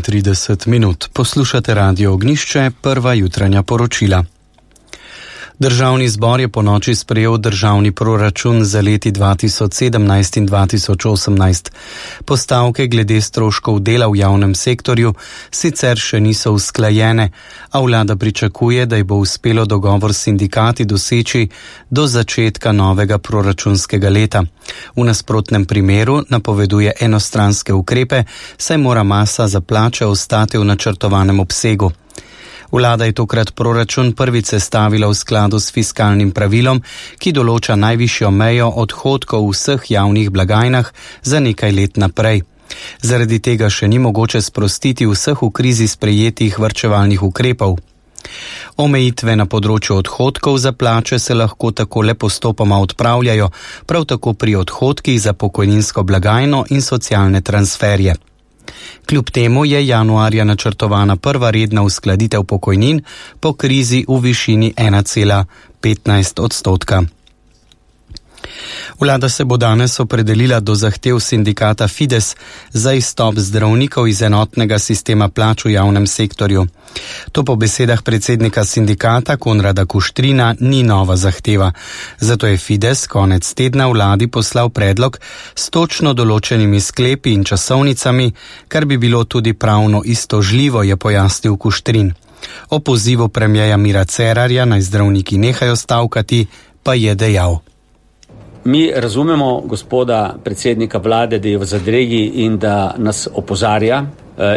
30 minut. Poslušate Radio Ognjišče, prva jutranja poročila. Državni zbor je ponoči sprejel državni proračun za leti 2017 in 2018. Postavke glede stroškov dela v javnem sektorju sicer še niso usklajene, a vlada pričakuje, da ji bo uspelo dogovor s sindikati doseči do začetka novega proračunskega leta. V nasprotnem primeru napoveduje enostranske ukrepe, saj mora masa za plače ostati v načrtovanem obsegu. Vlada je tokrat proračun prvič sestavila v skladu s fiskalnim pravilom, ki določa najvišjo mejo odhodkov v vseh javnih blagajnah za nekaj let naprej. Zaradi tega še ni mogoče sprostiti vseh v krizi sprejetih varčevalnih ukrepov. Omejitve na področju odhodkov za plače se lahko tako le postopoma odpravljajo, prav tako pri odhodkih za pokojninsko blagajno in socialne transferje. Kljub temu je januarja načrtovana prva redna uskladitev pokojnin po krizi v višini 1,15%. Vlada se bo danes opredelila do zahtev sindikata Fides za izstop zdravnikov iz enotnega sistema plač v javnem sektorju. To po besedah predsednika sindikata Konrada Kuštrina ni nova zahteva. Zato je Fides konec tedna vladi poslal predlog s točno določenimi sklepi in časovnicami, kar bi bilo tudi pravno istožljivo, je pojasnil Kuštrin. O pozivu premierja Mira Cerarja naj zdravniki nehajo stavkati, pa je dejal. Mi razumemo gospoda predsednika vlade, da je v zadregi in da nas opozarja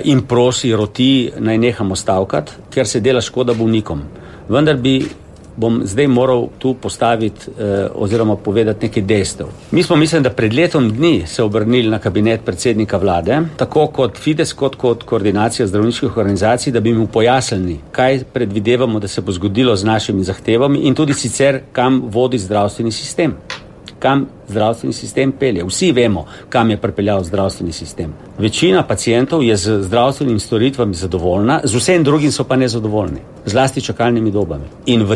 in prosi, roti, naj nehamo stavkati, ker se dela škoda bolnikom. Vendar bom zdaj moral tu postaviti oziroma povedati nekaj dejstev. Mi smo, mislim, da pred letom dni se obrnili na kabinet predsednika vlade, tako kot Fides, kot koordinacija zdravniških organizacij, da bi mu pojasnili, kaj predvidevamo, da se bo zgodilo z našimi zahtevami in tudi sicer, kam vodi zdravstveni sistem. Kam zdravstveni sistem pelje. Vsi vemo, kam je pripeljal zdravstveni sistem. Večina pacientov je z zdravstvenimi storitvami zadovoljna, z vsem drugim so pa nezadovoljni, zlasti čakalnimi dobami. In v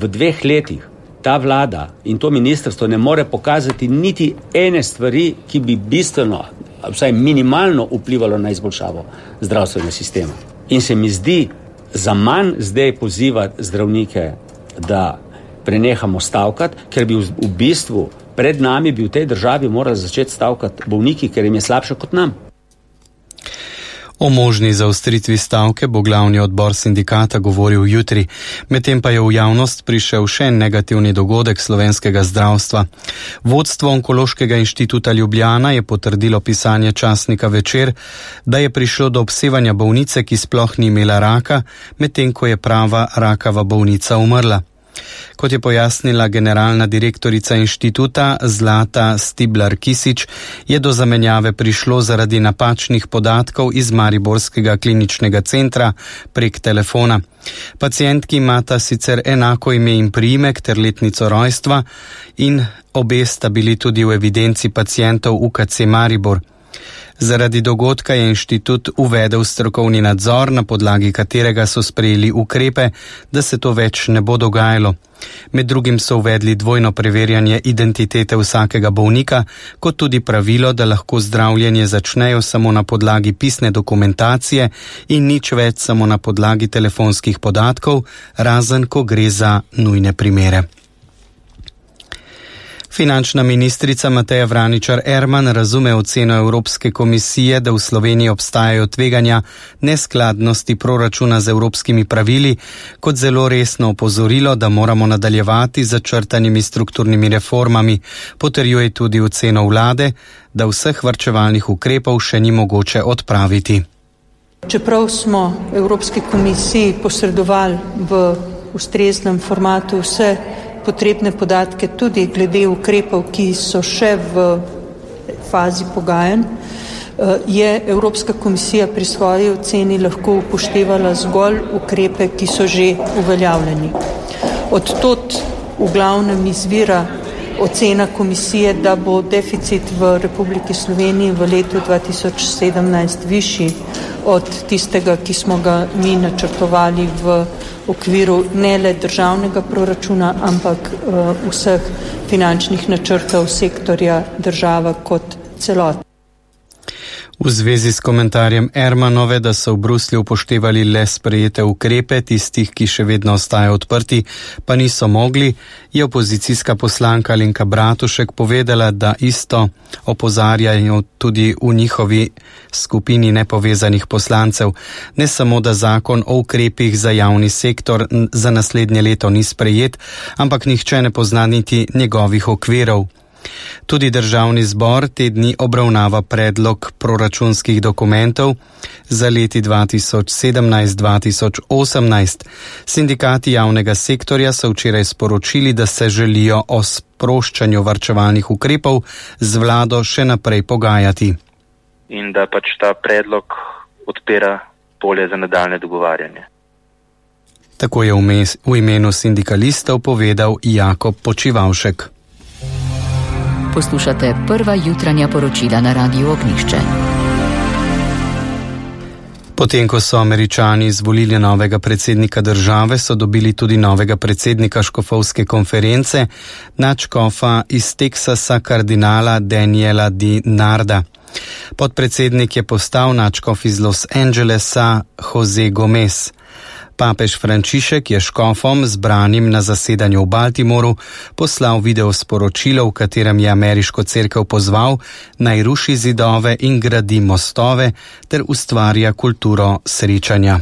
dveh letih ta vlada in to ministrstvo ne more pokazati niti ene stvari, ki bi bistveno, vsaj minimalno vplivalo na izboljšavo zdravstvenega sistema. In se mi zdi za manj zdaj pozivati zdravnike, da prenehamo stavkati, ker bi v bistvu pred nami bi v tej državi morali začeti stavkati bolniki, ker jim je slabše kot nam. O možni zaostritvi stavke bo glavni odbor sindikata govoril jutri, medtem pa je v javnost prišel še negativni dogodek slovenskega zdravstva. Vodstvo Onkološkega inštituta Ljubljana je potrdilo pisanje časnika Večer, da je prišlo do obsevanja bolnice, ki sploh ni imela raka, medtem ko je prava rakava bolnica umrla. Kot je pojasnila generalna direktorica inštituta Zlata Stiblar-Kisič, je do zamenjave prišlo zaradi napačnih podatkov iz Mariborskega kliničnega centra prek telefona. Pacientki imata sicer enako ime in priimek ter letnico rojstva in obe sta bili tudi v evidenci pacientov UKC Maribor. Zaradi dogodka je inštitut uvedel strokovni nadzor, na podlagi katerega so sprejeli ukrepe, da se to več ne bo dogajalo. Med drugim so uvedli dvojno preverjanje identitete vsakega bolnika, kot tudi pravilo, da lahko zdravljenje začnejo samo na podlagi pisne dokumentacije in nič več samo na podlagi telefonskih podatkov, razen ko gre za nujne primere. Finančna ministrica Mateja Vraničar Erman razume oceno Evropske komisije, da v Sloveniji obstajajo tveganja neskladnosti proračuna z evropskimi pravili, kot zelo resno opozorilo, da moramo nadaljevati z začrtanimi strukturnimi reformami. Potrjuje tudi oceno vlade, da vseh varčevalnih ukrepov še ni mogoče odpraviti. Čeprav smo Evropski komisiji posredovali v ustreznem formatu vse potrebne podatke tudi glede ukrepov, ki so še v fazi pogajanj, je Evropska komisija pri svoji oceni lahko upoštevala zgolj ukrepe, ki so že uveljavljeni. Od tod v glavnem izvira ocena komisije, da bo deficit v Republiki Sloveniji v letu 2017 višji od tistega, ki smo ga mi načrtovali v okviru ne le državnega proračuna, ampak vseh finančnih načrtov sektorja država kot celota. V zvezi s komentarjem Ermanove, da so v Bruslju upoštevali le sprejete ukrepe, tistih, ki še vedno ostajajo odprti, pa niso mogli, je opozicijska poslanka Alenka Bratušek povedala, da isto opozarjajo tudi v njihovi skupini nepovezanih poslancev. Ne samo, da zakon o ukrepih za javni sektor za naslednje leto ni sprejet, ampak nihče ne pozna niti njegovih okvirov. Tudi Državni zbor te dni obravnava predlog proračunskih dokumentov za leti 2017-2018. Sindikati javnega sektorja so včeraj sporočili, da se želijo o sproščanju varčevalnih ukrepov z vlado še naprej pogajati. In da pač ta predlog odpira polje za nadaljne dogovarjanje. Tako je v imenu sindikalistov povedal Jakob Počivavšek. Poslušate prva jutranja poročila na Radiu Ognjišče. Potem, ko so Američani izvolili novega predsednika države, so dobili tudi novega predsednika škofovske konference, nadškofa iz Teksasa kardinala Daniela Di Narda. Podpredsednik je postal nadškof iz Los Angelesa Jose Gomez. Papež Frančišek je škofom, zbranim na zasedanju v Baltimoru, poslal video sporočilo, v katerem je ameriško cerkev pozval, naj ruši zidove in gradi mostove ter ustvarja kulturo srečanja.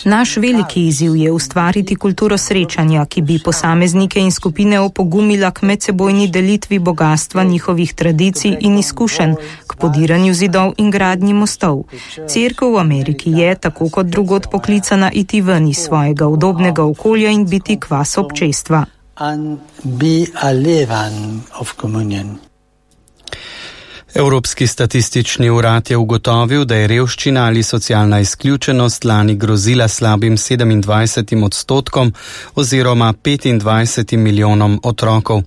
Naš veliki izziv je ustvariti kulturo srečanja, ki bi posameznike in skupine opogumila k medsebojni delitvi bogatstva njihovih tradicij in izkušenj, k podiranju zidov in gradnji mostov. Cerkev v Ameriki je, tako kot drugod, poklicana iti ven iz svojega udobnega okolja in biti kvas občestva. Evropski statistični urad je ugotovil, da je revščina ali socialna izključenost lani grozila slabim 27% oziroma 25 milijonom otrokov.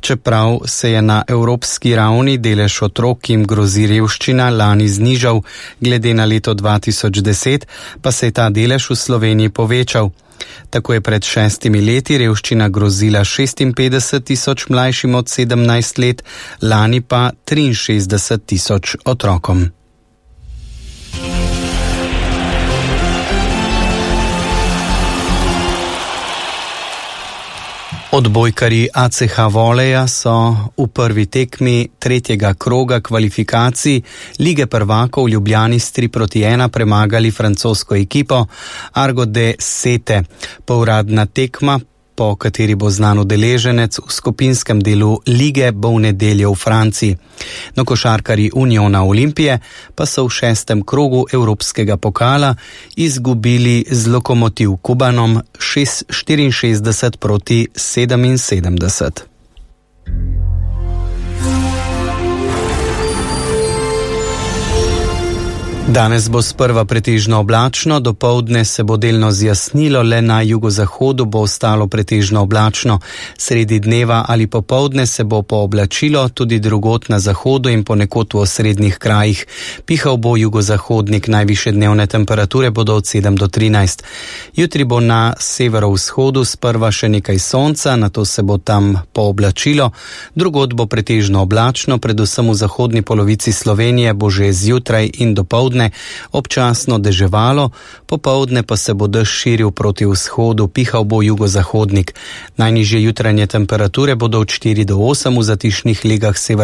Čeprav se je na evropski ravni delež otrok, ki jim grozi revščina, lani znižal glede na leto 2010, pa se je ta delež v Sloveniji povečal. Tako je pred 6 leti revščina grozila 56 tisoč mlajšim od 17 let, lani pa 63 tisoč otrokom. Odbojkarji ACH Voleja so v prvi tekmi tretjega kroga kvalifikacij Lige prvakov v Ljubljani s 3-1 premagali francosko ekipo Argo de Sete. Povratna tekma, po kateri bo znan udeleženec v skupinskem delu lige, bo v nedeljo v Franciji. No, košarkarji Uniona Olimpije pa so v 6. krogu evropskega pokala izgubili z Lokomotiv Kubanom 64-77. Danes bo sprva pretežno oblačno, dopoldne se bo delno zjasnilo, le na jugozahodu bo ostalo pretežno oblačno. Sredi dneva ali popoldne se bo pooblačilo tudi drugod na zahodu in ponekod v osrednjih krajih. Pihal bo jugozahodnik, najvišje dnevne temperature bodo od 7 do 13. Jutri bo na severovzhodu sprva še nekaj sonca, nato se bo tam pooblačilo. Drugod bo pretežno oblačno, predvsem v zahodni polovici Slovenije bo že zjutraj in dopoldne občasno deževalo, popoldne pa se bo dež širil proti vzhodu, pihal bo jugozahodnik. Najnižje jutranje temperature bodo od 4 do 8 v zatišnih legah sever